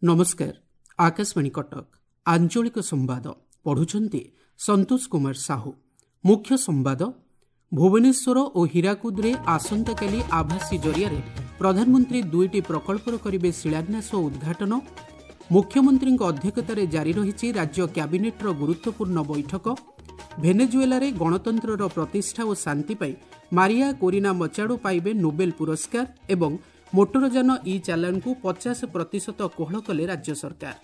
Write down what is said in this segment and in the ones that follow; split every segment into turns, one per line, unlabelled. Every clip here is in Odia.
ନମସ୍କାର, ଆକାଶବାଣୀ କଟକ, ଆଞ୍ଚଳିକ ସମ୍ବାଦ ପଢୁଛନ୍ତି ସନ୍ତୋଷ କୁମାର ସାହୁ। ମୁଖ୍ୟ ସମ୍ବାଦ। ଭୁବନେଶ୍ୱର ଓ ହୀରାକୁଦରେ ଆସନ୍ତାକାଲି ଆଭାସୀ ଜରିଆରେ ପ୍ରଧାନମନ୍ତ୍ରୀ ଦୁଇଟି ପ୍ରକଳ୍ପର କରିବେ ଶିଳାନ୍ୟାସ ଓ ଉଦ୍ଘାଟନ। ମୁଖ୍ୟମନ୍ତ୍ରୀଙ୍କ ଅଧ୍ୟକ୍ଷତାରେ ଜାରି ରହିଛି ରାଜ୍ୟ କ୍ୟାବିନେଟ୍ର ଗୁରୁତ୍ୱପୂର୍ଣ୍ଣ ବୈଠକ। ଭେନେଜୁଏଲାରେ ଗଣତନ୍ତ୍ରର ପ୍ରତିଷ୍ଠା ଓ ଶାନ୍ତି ପାଇଁ ମାରିଆ କୋରିନା ମଚାଡୋ ପାଇବେ ନୋବେଲ ପୁରସ୍କାର ଏବଂ ମୋଟରଯାନ ଇ ଚାଲାଣକୁ 50% କୋହଳ କଲେ ରାଜ୍ୟ ସରକାର।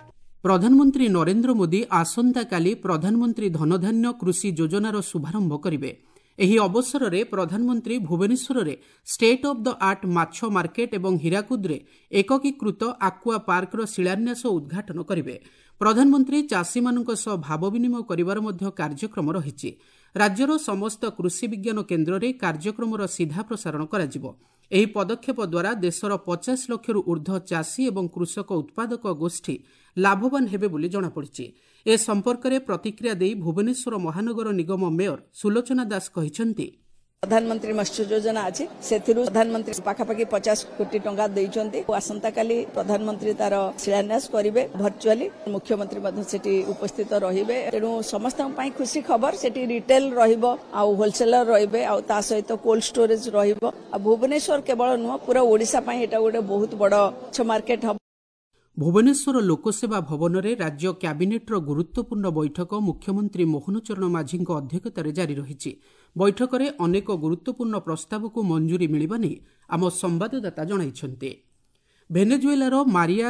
ପ୍ରଧାନମନ୍ତ୍ରୀ ନରେନ୍ଦ୍ର ମୋଦି ଆସନ୍ତାକାଲି ପ୍ରଧାନମନ୍ତ୍ରୀ ଧନଧାନ୍ୟ କୃଷି ଯୋଜନାର ଶୁଭାରମ୍ଭ କରିବେ। ଏହି ଅବସରରେ ପ୍ରଧାନମନ୍ତ୍ରୀ ଭୁବନେଶ୍ୱରରେ ଷ୍ଟେଟ୍ ଅଫ୍ the art ମାଛ ମାର୍କେଟ ଏବଂ ହୀରାକୁଦରେ ଏକକୀକୃତ ଆକ୍ୱା ପାର୍କର ଶିଳାନ୍ୟାସ ଓ ଉଦ୍ଘାଟନ କରିବେ। ପ୍ରଧାନମନ୍ତ୍ରୀ ଚାଷୀମାନଙ୍କ ସହ ଭାବ ବିନିମୟ କରିବାର ମଧ୍ୟ କାର୍ଯ୍ୟକ୍ରମ ରହିଛି। ରାଜ୍ୟର ସମସ୍ତ କୃଷି ବିଜ୍ଞାନ କେନ୍ଦ୍ରରେ କାର୍ଯ୍ୟକ୍ରମର ସିଧା ପ୍ରସାରଣ କରାଯିବ। ଏହି ପଦକ୍ଷେପ ଦ୍ୱାରା ଦେଶର 50 ଲକ୍ଷରୁ ଊର୍ଦ୍ଧ୍ୱ ଚାଷୀ ଏବଂ କୃଷକ ଉତ୍ପାଦକ ଗୋଷ୍ଠୀ ଲାଭବାନ ହେବେ ବୋଲି ଜଣାପଡ଼ିଛି। ଏ ସମ୍ପର୍କରେ ପ୍ରତିକ୍ରିୟା ଦେଇ ଭୁବନେଶ୍ୱର ମହାନଗର ନିଗମ ମେୟର ସୁଲୋଚନା ଦାସ କହିଛନ୍ତି,
ପ୍ରଧାନମନ୍ତ୍ରୀ ମତ୍ସ୍ୟ ଯୋଜନା ଅଛି, ସେଥିରୁ ପ୍ରଧାନମନ୍ତ୍ରୀ ପାଖାପାଖି 50 କୋଟି ଟଙ୍କା ଦେଇଛନ୍ତି। ଆସନ୍ତାକାଲି ପ୍ରଧାନମନ୍ତ୍ରୀ ତାର ଶିଳାନ୍ୟାସ କରିବେ ଭର୍ଚୁଆଲି, ମୁଖ୍ୟମନ୍ତ୍ରୀ ମଧ୍ୟ ସେଠି ଉପସ୍ଥିତ ରହିବେ। ତେଣୁ ସମସ୍ତଙ୍କ ପାଇଁ ଖୁସି ଖବର। ସେଠି ରିଟେଲ ରହିବ ଆଉ ହୋଲସେଲର ରହିବେ, ଆଉ ତା ସହିତ କୋଲ୍ଡ ଷ୍ଟୋରେଜ ରହିବ। ଆଉ ଭୁବନେଶ୍ୱର କେବଳ ନୁହଁ, ପୁରା ଓଡ଼ିଶା ପାଇଁ ଏଇଟା ଗୋଟେ ବହୁତ ବଡ଼ ମାଛ ମାର୍କେଟ ହବ।
ଭୁବନେଶ୍ୱର ଲୋକସେବା ଭବନରେ ରାଜ୍ୟ କ୍ୟାବିନେଟ୍ର ଗୁରୁତ୍ୱପୂର୍ଣ୍ଣ ବୈଠକ ମୁଖ୍ୟମନ୍ତ୍ରୀ ମୋହନ ଚରଣ ମାଝୀଙ୍କ ଅଧ୍ୟକ୍ଷତାରେ ଜାରି ରହିଛି। ବୈଠକରେ ଅନେକ ଗୁରୁତ୍ୱପୂର୍ଣ୍ଣ ପ୍ରସ୍ତାବକୁ ମଞ୍ଜୁରୀ ମିଳିବା ନେଇ ଆମ ସମ୍ବାଦଦାତା ଜଣାଇଛନ୍ତି। ଭେନେଜୁଏଲାର ମାରିଆ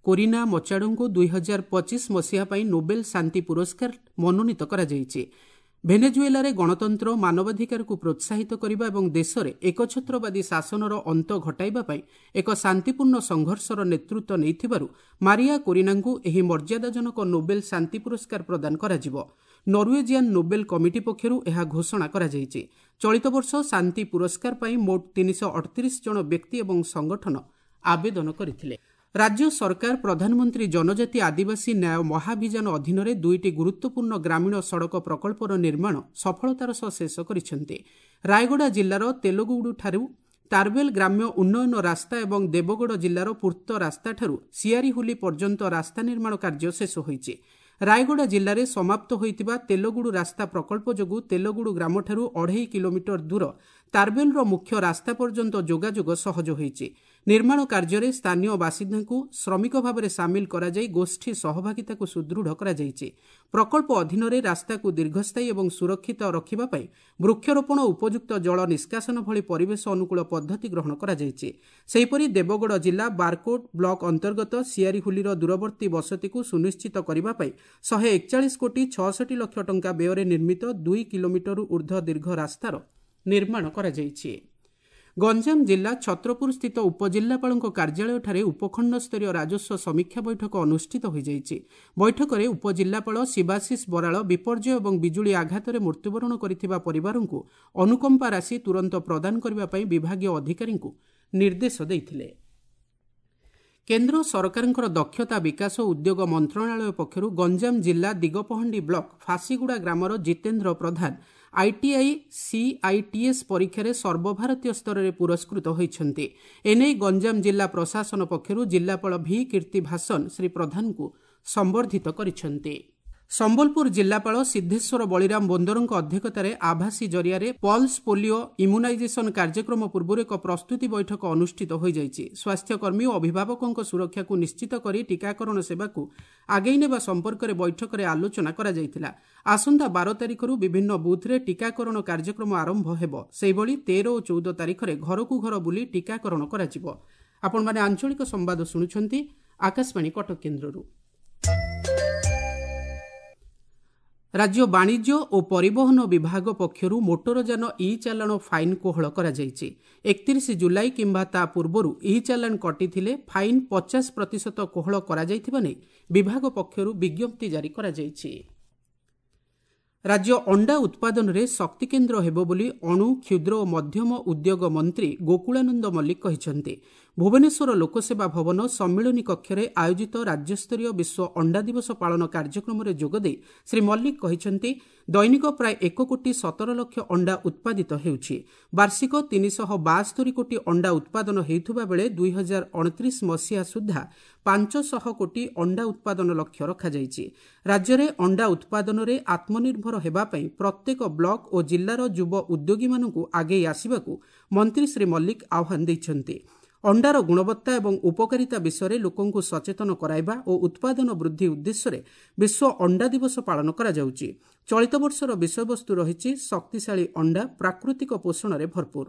କୋରିନା ମଚାଡୋଙ୍କୁ 2025 ମସିହା ପାଇଁ ନୋବେଲ ଶାନ୍ତି ପୁରସ୍କାର ମନୋନୀତ କରାଯାଇଛି। ଭେନେଜୁଏଲାରେ ଗଣତନ୍ତ୍ର, ମାନବାଧିକାରକୁ ପ୍ରୋତ୍ସାହିତ କରିବା ଏବଂ ଦେଶରେ ଏକଛତ୍ରବାଦୀ ଶାସନର ଅନ୍ତ ଘଟାଇବା ପାଇଁ ଏକ ଶାନ୍ତିପୂର୍ଣ୍ଣ ସଂଘର୍ଷର ନେତୃତ୍ୱ ନେଇଥିବାରୁ ମାରିଆ କୋରିନାଙ୍କୁ ଏହି ମର୍ଯ୍ୟାଦାଜନକ ନୋବେଲ ଶାନ୍ତି ପୁରସ୍କାର ପ୍ରଦାନ କରାଯିବ। ନରୱେଜିଆନ୍ ନୋବେଲ କମିଟି ପକ୍ଷରୁ ଏହା ଘୋଷଣା କରାଯାଇଛି। ଚଳିତ ବର୍ଷ ଶାନ୍ତି ପୁରସ୍କାର ପାଇଁ ମୋଟ 338 ଜଣ ବ୍ୟକ୍ତି ଏବଂ ସଂଗଠନ ଆବେଦନ କରିଥିଲେ। ରାଜ୍ୟ ସରକାର ପ୍ରଧାନମନ୍ତ୍ରୀ ଜନଜାତି ଆଦିବାସୀ ନ୍ୟାୟ ମହାଭିଯାନ ଅଧୀନରେ ଦୁଇଟି ଗୁରୁତ୍ୱପୂର୍ଣ୍ଣ ଗ୍ରାମୀଣ ସଡ଼କ ପ୍ରକଳ୍ପର ନିର୍ମାଣ ସଫଳତାର ସହ ଶେଷ କରିଛନ୍ତି। ରାୟଗଡ଼ା ଜିଲ୍ଲାର ତେଲୁଗୁଡ଼ୁଠାରୁ ତାରବେଲ ଗ୍ରାମ୍ୟ ଉନ୍ନୟନ ରାସ୍ତା ଏବଂ ଦେବଗଡ଼ ଜିଲ୍ଲାର ପୂର୍ତ୍ତ ରାସ୍ତାଠାରୁ ସିଆରିହୁଲି ପର୍ଯ୍ୟନ୍ତ ରାସ୍ତା ନିର୍ମାଣ କାର୍ଯ୍ୟ ଶେଷ ହୋଇଛି। ରାୟଗଡ଼ା ଜିଲ୍ଲାରେ ସମାପ୍ତ ହୋଇଥିବା ତେଲଗୁଡ଼ୁ ରାସ୍ତା ପ୍ରକଳ୍ପ ଯୋଗୁଁ ତେଲଗୁଡ଼ୁ ଗ୍ରାମଠାରୁ 2.5 କିଲୋମିଟର ଦୂର ତାରବେଲର ମୁଖ୍ୟ ରାସ୍ତା ପର୍ଯ୍ୟନ୍ତ ଯୋଗାଯୋଗ ସହଜ ହୋଇଛି। ନିର୍ମାଣ କାର୍ଯ୍ୟରେ ସ୍ଥାନୀୟ ବାସିନ୍ଦାଙ୍କୁ ଶ୍ରମିକ ଭାବରେ ସାମିଲ କରାଯାଇ ଗୋଷ୍ଠୀ ସହଭାଗିତାକୁ ସୁଦୃଢ଼ କରାଯାଇଛି। ପ୍ରକଳ୍ପ ଅଧୀନରେ ରାସ୍ତାକୁ ଦୀର୍ଘସ୍ଥାୟୀ ଏବଂ ସୁରକ୍ଷିତ ରଖିବା ପାଇଁ ବୃକ୍ଷରୋପଣ, ଉପଯୁକ୍ତ ଜଳ ନିଷ୍କାସନ ଭଳି ପରିବେଶ ଅନୁକୂଳ ପଦ୍ଧତି ଗ୍ରହଣ କରାଯାଇଛି। ସେହିପରି ଦେବଗଡ଼ ଜିଲ୍ଲା ବାରକୋଟ ବ୍ଲକ ଅନ୍ତର୍ଗତ ସିଆରିହୁଲିର ଦୂରବର୍ତ୍ତୀ ବସତିକୁ ସୁନିଶ୍ଚିତ କରିବା ପାଇଁ 141 କୋଟି 66 ଲକ୍ଷ ଟଙ୍କା ବ୍ୟୟରେ ନିର୍ମିତ 2 କିଲୋମିଟରରୁ ଊର୍ଦ୍ଧ୍ୱ ଦୀର୍ଘ ରାସ୍ତାର ନିର୍ମାଣ କରାଯାଇଛି। ଗଞ୍ଜାମ ଜିଲ୍ଲା ଛତ୍ରପୁର ସ୍ଥିତ ଉପଜିଲ୍ଲାପାଳଙ୍କ କାର୍ଯ୍ୟାଳୟଠାରେ ଉପଖଣ୍ଡସ୍ତରୀୟ ରାଜସ୍ୱ ସମୀକ୍ଷା ବୈଠକ ଅନୁଷ୍ଠିତ ହୋଇଯାଇଛି। ବୈଠକରେ ଉପଜିଲ୍ଲାପାଳ ଶିବାଶିଷ ବରାଳ ବିପର୍ଯ୍ୟୟ ଏବଂ ବିଜୁଳି ଆଘାତରେ ମୃତ୍ୟୁବରଣ କରିଥିବା ପରିବାରଙ୍କୁ ଅନୁକମ୍ପା ରାଶି ତୁରନ୍ତ ପ୍ରଦାନ କରିବା ପାଇଁ ବିଭାଗୀୟ ଅଧିକାରୀଙ୍କୁ ନିର୍ଦ୍ଦେଶ ଦେଇଥିଲେ। କେନ୍ଦ୍ର ସରକାରଙ୍କର ଦକ୍ଷତା ବିକାଶ ଓ ଉଦ୍ୟୋଗ ମନ୍ତ୍ରଣାଳୟ ପକ୍ଷରୁ ଗଞ୍ଜାମ ଜିଲ୍ଲା ଦିଗପହଣ୍ଡି ବ୍ଲକ ଫାସିଗୁଡ଼ା ଗ୍ରାମର ଜିତେନ୍ଦ୍ର ପ୍ରଧାନ ଆଇଟିଆଇ ସିଆଇଟିଏସ୍ ପରୀକ୍ଷାରେ ସର୍ବଭାରତୀୟ ସ୍ତରରେ ପୁରସ୍କୃତ ହୋଇଛନ୍ତି। ଏନେଇ ଗଞ୍ଜାମ ଜିଲ୍ଲା ପ୍ରଶାସନ ପକ୍ଷରୁ ଜିଲ୍ଲାପାଳ ଭି କୀର୍ତ୍ତି ଭାସନ ଶ୍ରୀ ପ୍ରଧାନଙ୍କୁ ସମ୍ବର୍ଦ୍ଧିତ କରିଛନ୍ତି। ସମ୍ବଲପୁର ଜିଲ୍ଲାପାଳ ସିଦ୍ଧେଶ୍ୱର ବଳିରାମ ବୋନ୍ଦରଙ୍କ ଅଧ୍ୟକ୍ଷତାରେ ଆଭାସୀ ଜରିଆରେ ପଲ୍ସ ପୋଲିଓ ଇମ୍ୟୁନାଇଜେସନ କାର୍ଯ୍ୟକ୍ରମ ପୂର୍ବରୁ ଏକ ପ୍ରସ୍ତୁତି ବୈଠକ ଅନୁଷ୍ଠିତ ହୋଇଯାଇଛି। ସ୍ୱାସ୍ଥ୍ୟକର୍ମୀ ଓ ଅଭିଭାବକଙ୍କ ସୁରକ୍ଷାକୁ ନିଶ୍ଚିତ କରି ଟିକାକରଣ ସେବାକୁ ଆଗେଇ ନେବା ସମ୍ପର୍କରେ ବୈଠକରେ ଆଲୋଚନା କରାଯାଇଥିଲା। ଆସନ୍ତା 12 ତାରିଖରୁ ବିଭିନ୍ନ ବୁଥ୍ରେ ଟିକାକରଣ କାର୍ଯ୍ୟକ୍ରମ ଆରମ୍ଭ ହେବ। ସେହିଭଳି 13 ଓ 14 ତାରିଖରେ ଘରକୁ ଘର ବୁଲି ଟିକାକରଣ କରାଯିବ। ଆପଣମାନେ ଆଞ୍ଚଳିକ ସମ୍ବାଦ ଶୁଣୁଛନ୍ତି ଆକାଶବାଣୀ କଟକ କେନ୍ଦ୍ରରୁ। ରାଜ୍ୟ ବାଣିଜ୍ୟ ଓ ପରିବହନ ବିଭାଗ ପକ୍ଷରୁ ମୋଟରଯାନ ଇ ଚାଲାଣ ଫାଇନ୍ କୋହଳ କରାଯାଇଛି। 31 ଜୁଲାଇ କିମ୍ବା ତା ପୂର୍ବରୁ ଇ ଚାଲାଣ କଟିଥିଲେ ଫାଇନ୍ 50% କୋହଳ କରାଯାଇଥିବା ନେଇ ବିଭାଗ ପକ୍ଷରୁ ବିଜ୍ଞପ୍ତି ଜାରି କରାଯାଇଛି। ରାଜ୍ୟ ଅଣ୍ଡା ଉତ୍ପାଦନରେ ଶକ୍ତିକେନ୍ଦ୍ର ହେବ ବୋଲି ଅଣୁ, କ୍ଷୁଦ୍ର ଓ ମଧ୍ୟମ ଉଦ୍ୟୋଗ ମନ୍ତ୍ରୀ ଗୋକୁଳାନନ୍ଦ ମଲ୍ଲିକ କହିଛନ୍ତି। ଭୁବନେଶ୍ୱର ଲୋକସେବା ଭବନ ସମ୍ମିଳନୀ କକ୍ଷରେ ଆୟୋଜିତ ରାଜ୍ୟସ୍ତରୀୟ ବିଶ୍ୱ ଅଣ୍ଡା ଦିବସ ପାଳନ କାର୍ଯ୍ୟକ୍ରମରେ ଯୋଗଦେଇ ଶ୍ରୀ ମଲ୍ଲିକ କହିଛନ୍ତି, ଦୈନିକ ପ୍ରାୟ 1 କୋଟି 17 ଲକ୍ଷ ଅଣ୍ଡା ଉତ୍ପାଦିତ ହେଉଛି। ବାର୍ଷିକ 372 କୋଟି ଅଣ୍ଡା ଉତ୍ପାଦନ ହେଉଥିବା ବେଳେ 2029 ମସିହା ସୁଦ୍ଧା 500 କୋଟି ଅଣ୍ଡା ଉତ୍ପାଦନ ଲକ୍ଷ୍ୟ ରଖାଯାଇଛି। ରାଜ୍ୟରେ ଅଣ୍ଡା ଉତ୍ପାଦନରେ ଆତ୍ମନିର୍ଭର ହେବା ପାଇଁ ପ୍ରତ୍ୟେକ ବ୍ଲକ ଓ ଜିଲ୍ଲାର ଯୁବ ଉଦ୍ୟୋଗୀମାନଙ୍କୁ ଆଗେଇ ଆସିବାକୁ ମନ୍ତ୍ରୀ ଶ୍ରୀ ମଲ୍ଲିକ ଆହ୍ୱାନ ଦେଇଛନ୍ତି। ଅଣ୍ଡାର ଗୁଣବତ୍ତା ଏବଂ ଉପକାରିତା ବିଷୟରେ ଲୋକଙ୍କୁ ସଚେତନ କରାଇବା ଓ ଉତ୍ପାଦନ ବୃଦ୍ଧି ଉଦ୍ଦେଶ୍ୟରେ ବିଶ୍ୱ ଅଣ୍ଡା ଦିବସ ପାଳନ କରାଯାଉଛି। ଚଳିତ ବର୍ଷର ବିଷୟବସ୍ତୁ ରହିଛି ଶକ୍ତିଶାଳୀ ଅଣ୍ଡା, ପ୍ରାକୃତିକ ପୋଷଣରେ ଭରପୁର।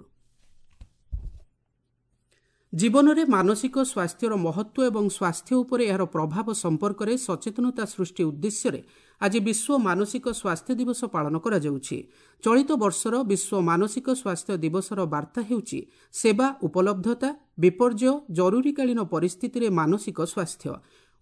ଜୀବନରେ ମାନସିକ ସ୍ୱାସ୍ଥ୍ୟର ମହତ୍ତ୍ୱ ଏବଂ ସ୍ୱାସ୍ଥ୍ୟ ଉପରେ ଏହାର ପ୍ରଭାବ ସମ୍ପର୍କରେ ସଚେତନତା ସୃଷ୍ଟି ଉଦ୍ଦେଶ୍ୟରେ ଆଜି ବିଶ୍ୱ ମାନସିକ ସ୍ୱାସ୍ଥ୍ୟ ଦିବସ ପାଳନ କରାଯାଉଛି। ଚଳିତ ବର୍ଷର ବିଶ୍ୱ ମାନସିକ ସ୍ୱାସ୍ଥ୍ୟ ଦିବସର ବାର୍ତ୍ତା ହେଉଛି ସେବା ଉପଲବ୍ଧତା, ବିପର୍ଯ୍ୟୟ, ଜରୁରୀକାଳୀନ ପରିସ୍ଥିତିରେ ମାନସିକ ସ୍ୱାସ୍ଥ୍ୟ।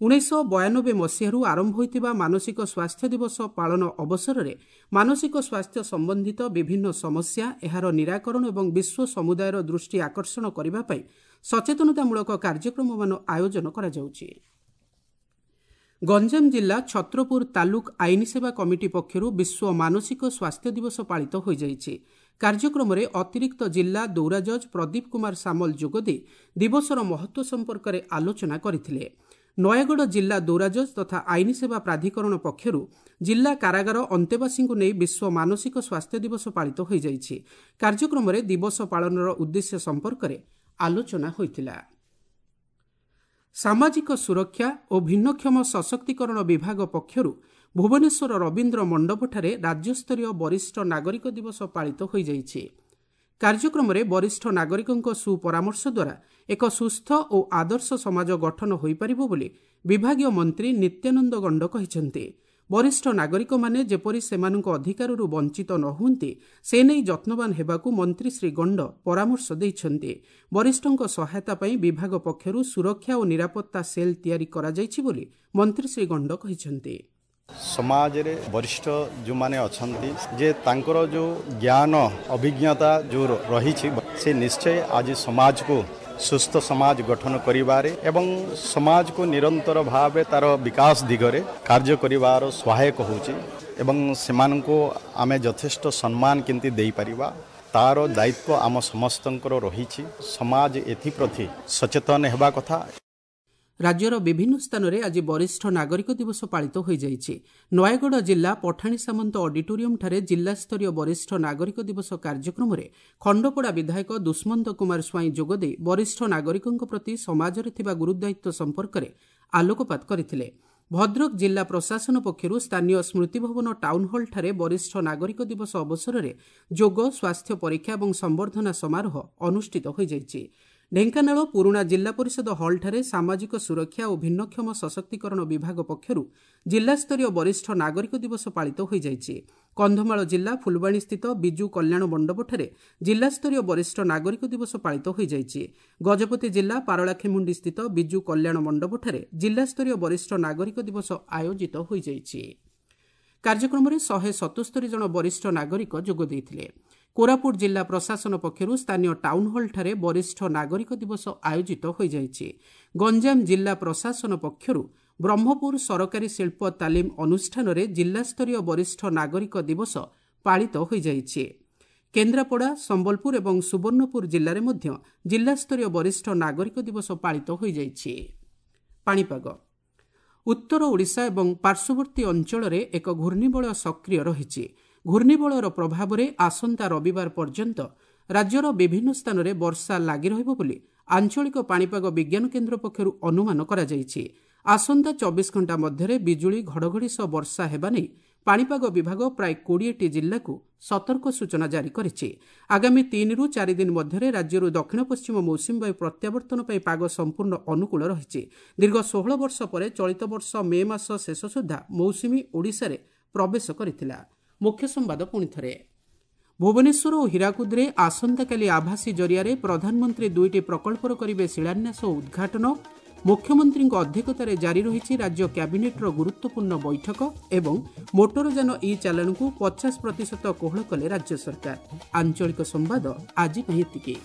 1992 ମସିହାରୁ ଆରମ୍ଭ ହୋଇଥିବା ମାନସିକ ସ୍ୱାସ୍ଥ୍ୟ ଦିବସ ପାଳନ ଅବସରରେ ମାନସିକ ସ୍ୱାସ୍ଥ୍ୟ ସମ୍ବନ୍ଧିତ ବିଭିନ୍ନ ସମସ୍ୟା, ଏହାର ନିରାକରଣ ଏବଂ ବିଶ୍ୱ ସମୁଦାୟର ଦୃଷ୍ଟି ଆକର୍ଷଣ କରିବା ପାଇଁ ସଚେତନତାମୂଳକ କାର୍ଯ୍ୟକ୍ରମମାନ ଆୟୋଜନ କରାଯାଉଛି। ଗଞ୍ଜାମ ଜିଲ୍ଲା ଛତ୍ରପୁର ତାଲୁକ ଆଇନ ସେବା କମିଟି ପକ୍ଷରୁ ବିଶ୍ୱ ମାନସିକ ସ୍ୱାସ୍ଥ୍ୟ ଦିବସ ପାଳିତ ହୋଇଯାଇଛି। କାର୍ଯ୍ୟକ୍ରମରେ ଅତିରିକ୍ତ ଜିଲ୍ଲା ଦୌରାଜଜ୍ ପ୍ରଦୀପ କୁମାର ସାମଲ ଯୋଗଦେଇ ଦିବସର ମହତ୍ତ୍ୱ ସମ୍ପର୍କରେ ଆଲୋଚନା କରିଥିଲେ। ନୟାଗଡ଼ ଜିଲ୍ଲା ଦୌରାଜଜ୍ ତଥା ଆଇନ ସେବା ପ୍ରାଧିକରଣ ପକ୍ଷରୁ ଜିଲ୍ଲା କାରାଗାର ଅନ୍ତେବାସୀଙ୍କୁ ନେଇ ବିଶ୍ୱ ମାନସିକ ସ୍ୱାସ୍ଥ୍ୟ ଦିବସ ପାଳିତ ହୋଇଯାଇଛି। କାର୍ଯ୍ୟକ୍ରମରେ ଦିବସ ପାଳନର ଉଦ୍ଦେଶ୍ୟ ସମ୍ପର୍କରେ ଆଲୋଚନା ହୋଇଥିଲା। ସାମାଜିକ ସୁରକ୍ଷା ଓ ଭିନ୍ନକ୍ଷମ ସଶକ୍ତିକରଣ ବିଭାଗ ପକ୍ଷରୁ ଭୁବନେଶ୍ୱର ରବୀନ୍ଦ୍ର ମଣ୍ଡପଠାରେ ରାଜ୍ୟସ୍ତରୀୟ ବରିଷ୍ଠ ନାଗରିକ ଦିବସ ପାଳିତ ହୋଇଯାଇଛି। କାର୍ଯ୍ୟକ୍ରମରେ ବରିଷ୍ଠ ନାଗରିକଙ୍କ ସୁପରାମର୍ଶ ଦ୍ୱାରା ଏକ ସୁସ୍ଥ ଓ ଆଦର୍ଶ ସମାଜ ଗଠନ ହୋଇପାରିବ ବୋଲି ବିଭାଗୀୟ ମନ୍ତ୍ରୀ ନିତ୍ୟାନନ୍ଦ ଗଣ୍ଡ କହିଛନ୍ତି। ବରିଷ୍ଠ ନାଗରିକମାନେ ଯେପରି ସେମାନଙ୍କ ଅଧିକାରରୁ ବଞ୍ଚିତ ନ ହୁଅନ୍ତି ସେ ନେଇ ଯତ୍ନବାନ ହେବାକୁ ମନ୍ତ୍ରୀ ଶ୍ରୀ ଗଣ୍ଡ ପରାମର୍ଶ ଦେଇଛନ୍ତି। ବରିଷ୍ଠଙ୍କ ସହାୟତା ପାଇଁ ବିଭାଗ ପକ୍ଷରୁ ସୁରକ୍ଷା ଓ ନିରାପତ୍ତା ସେଲ୍ ତିଆରି କରାଯାଇଛି ବୋଲି ମନ୍ତ୍ରୀ ଶ୍ରୀ ଗଣ୍ଡ କହିଛନ୍ତି।
ସମାଜରେ ବରିଷ୍ଠ ଯେଉଁମାନେ ଅଛନ୍ତି, ଯେ ତାଙ୍କର ଯେଉଁ ଜ୍ଞାନ ଅଭିଜ୍ଞତା ଯେଉଁ ରହିଛି, ସେ ନିଶ୍ଚୟ ଆଜି ସମାଜକୁ ସୁସ୍ଥ ସମାଜ ଗଠନ କରିବାରେ ଏବଂ ସମାଜକୁ ନିରନ୍ତର ଭାବେ ତା'ର ବିକାଶ ଦିଗରେ କାର୍ଯ୍ୟ କରିବାର ସହାୟକ ହେଉଛି ଏବଂ ସେମାନଙ୍କୁ ଆମେ ଯଥେଷ୍ଟ ସମ୍ମାନ କେମିତି ଦେଇପାରିବା ତା'ର ଦାୟିତ୍ୱ ଆମ ସମସ୍ତଙ୍କର ରହିଛି। ସମାଜ ଏଥିପ୍ରତି ସଚେତନ ହେବା କଥା।
ରାଜ୍ୟର ବିଭିନ୍ନ ସ୍ଥାନରେ ଆଜି ବରିଷ୍ଠ ନାଗରିକ ଦିବସ ପାଳିତ ହୋଇଯାଇଛି। ନୟାଗଡ଼ ଜିଲ୍ଲା ପଠାଣି ସାମନ୍ତ ଅଡିଟୋରିୟମଠାରେ ଜିଲ୍ଲାସ୍ତରୀୟ ବରିଷ୍ଠ ନାଗରିକ ଦିବସ କାର୍ଯ୍ୟକ୍ରମରେ ଖଣ୍ଡପଡ଼ା ବିଧାୟକ ଦୁଷ୍ମନ୍ତ କୁମାର ସ୍ୱାଇଁ ଯୋଗଦେଇ ବରିଷ୍ଠ ନାଗରିକଙ୍କ ପ୍ରତି ସମାଜରେ ଥିବା ଗୁରୁଦାୟିତ୍ୱ ସମ୍ପର୍କରେ ଆଲୋକପାତ କରିଥିଲେ। ଭଦ୍ରକ ଜିଲ୍ଲା ପ୍ରଶାସନ ପକ୍ଷରୁ ସ୍ଥାନୀୟ ସ୍ମୃତିଭବନ ଟାଉନହଲଠାରେ ବରିଷ୍ଠ ନାଗରିକ ଦିବସ ଅବସରରେ ଯୋଗ, ସ୍ୱାସ୍ଥ୍ୟ ପରୀକ୍ଷା ଏବଂ ସମ୍ବର୍ଦ୍ଧନା ସମାରୋହ ଅନୁଷ୍ଠିତ ହୋଇଯାଇଛି। ଢେଙ୍କାନାଳ ପୁରୁଣା ଜିଲ୍ଲା ପରିଷଦ ହଲ୍ଠାରେ ସାମାଜିକ ସୁରକ୍ଷା ଓ ଭିନ୍ନକ୍ଷମ ସଶକ୍ତିକରଣ ବିଭାଗ ପକ୍ଷରୁ ଜିଲ୍ଲାସ୍ତରୀୟ ବରିଷ୍ଠ ନାଗରିକ ଦିବସ ପାଳିତ ହୋଇଯାଇଛି। କନ୍ଧମାଳ ଜିଲ୍ଲା ଫୁଲବାଣୀସ୍ଥିତ ବିଜୁ କଲ୍ୟାଣ ମଣ୍ଡପଠାରେ ଜିଲ୍ଲାସ୍ତରୀୟ ବରିଷ୍ଠ ନାଗରିକ ଦିବସ ପାଳିତ ହୋଇଯାଇଛି। ଗଜପତି ଜିଲ୍ଲା ପାରଳାଖେମୁଣ୍ଡିସ୍ଥିତ ବିଜୁ କଲ୍ୟାଣ ମଣ୍ଡପଠାରେ ଜିଲ୍ଲାସ୍ତରୀୟ ବରିଷ୍ଠ ନାଗରିକ ଦିବସ ଆୟୋଜିତ ହୋଇଯାଇଛି। କାର୍ଯ୍ୟକ୍ରମରେ 177 ଜଣ ବରିଷ୍ଠ ନାଗରିକ ଯୋଗ ଦେଇଥିଲେ। କୋରାପୁଟ ଜିଲ୍ଲା ପ୍ରଶାସନ ପକ୍ଷରୁ ସ୍ଥାନୀୟ ଟାଉନହଲଠାରେ ବରିଷ୍ଠ ନାଗରିକ ଦିବସ ଆୟୋଜିତ ହୋଇଯାଇଛି। ଗଞ୍ଜାମ ଜିଲ୍ଲା ପ୍ରଶାସନ ପକ୍ଷରୁ ବ୍ରହ୍ମପୁର ସରକାରୀ ଶିଳ୍ପ ତାଲିମ ଅନୁଷ୍ଠାନରେ ଜିଲ୍ଲାସ୍ତରୀୟ ବରିଷ୍ଠ ନାଗରିକ ଦିବସ ପାଳିତ ହୋଇଯାଇଛି। କେନ୍ଦ୍ରାପଡ଼ା, ସମ୍ବଲପୁର ଏବଂ ସୁବର୍ଣ୍ଣପୁର ଜିଲ୍ଲାରେ ମଧ୍ୟ ଜିଲ୍ଲାସ୍ତରୀୟ ବରିଷ୍ଠ ନାଗରିକ ଦିବସ ପାଳିତ ହୋଇଯାଇଛି। ପାଣିପାଗ। ଉତ୍ତର ଓଡ଼ିଶା ଏବଂ ପାର୍ଶ୍ୱବର୍ତ୍ତୀ ଅଞ୍ଚଳରେ ଏକ ଘୂର୍ଣ୍ଣିବଳୟ ସକ୍ରିୟ ରହିଛି। ଘୂର୍ଣ୍ଣିବଳୟର ପ୍ରଭାବରେ ଆସନ୍ତା ରବିବାର ପର୍ଯ୍ୟନ୍ତ ରାଜ୍ୟର ବିଭିନ୍ନ ସ୍ଥାନରେ ବର୍ଷା ଲାଗି ରହିବ ବୋଲି ଆଞ୍ଚଳିକ ପାଣିପାଗ ବିଜ୍ଞାନ କେନ୍ଦ୍ର ପକ୍ଷରୁ ଅନୁମାନ କରାଯାଇଛି। ଆସନ୍ତା 24 ଘଣ୍ଟା ମଧ୍ୟରେ ବିଜୁଳି ଘଡ଼ଘଡ଼ି ସହ ବର୍ଷା ହେବା ନେଇ ପାଣିପାଗ ବିଭାଗ ପ୍ରାୟ 20ଟି ଜିଲ୍ଲାକୁ ସତର୍କ ସୂଚନା ଜାରି କରିଛି। ଆଗାମୀ 3ରୁ 4 ଦିନ ମଧ୍ୟରେ ରାଜ୍ୟରୁ ଦକ୍ଷିଣ ପଶ୍ଚିମ ମୌସୁମୀ ବାୟୁ ପ୍ରତ୍ୟାବର୍ତ୍ତନ ପାଇଁ ପାଗ ସମ୍ପୂର୍ଣ୍ଣ ଅନୁକୂଳ ରହିଛି। ଦୀର୍ଘ 16 ବର୍ଷ ପରେ ଚଳିତ ବର୍ଷ ମେ ମାସ ଶେଷ ସୁଦ୍ଧା ମୌସୁମୀ ଓଡ଼ିଶାରେ ପ୍ରବେଶ କରିଥିଲା। ମୁଖ୍ୟ ସମ୍ବାଦ ପୁଣିଥରେ। ଭୁବନେଶ୍ୱର ଓ ହୀରାକୁଦରେ ଆସନ୍ତାକାଲି ଆଭାସୀ ଜରିଆରେ ପ୍ରଧାନମନ୍ତ୍ରୀ 2ଟି ପ୍ରକଳ୍ପର କରିବେ ଶିଳାନ୍ୟାସ ଓ ଉଦ୍ଘାଟନ। ମୁଖ୍ୟମନ୍ତ୍ରୀଙ୍କ ଅଧ୍ୟକ୍ଷତାରେ ଜାରି ରହିଛି ରାଜ୍ୟ କ୍ୟାବିନେଟ୍ର ଗୁରୁତ୍ୱପୂର୍ଣ୍ଣ ବୈଠକ ଏବଂ ମୋଟରଯାନ ଇ ଚାଲାଣକୁ 50% କୋହଳ କଲେ ରାଜ୍ୟ ସରକାର। ଆଞ୍ଚଳିକ ସମ୍ବାଦ ଆଜି ପାଇଁ ଏତିକି।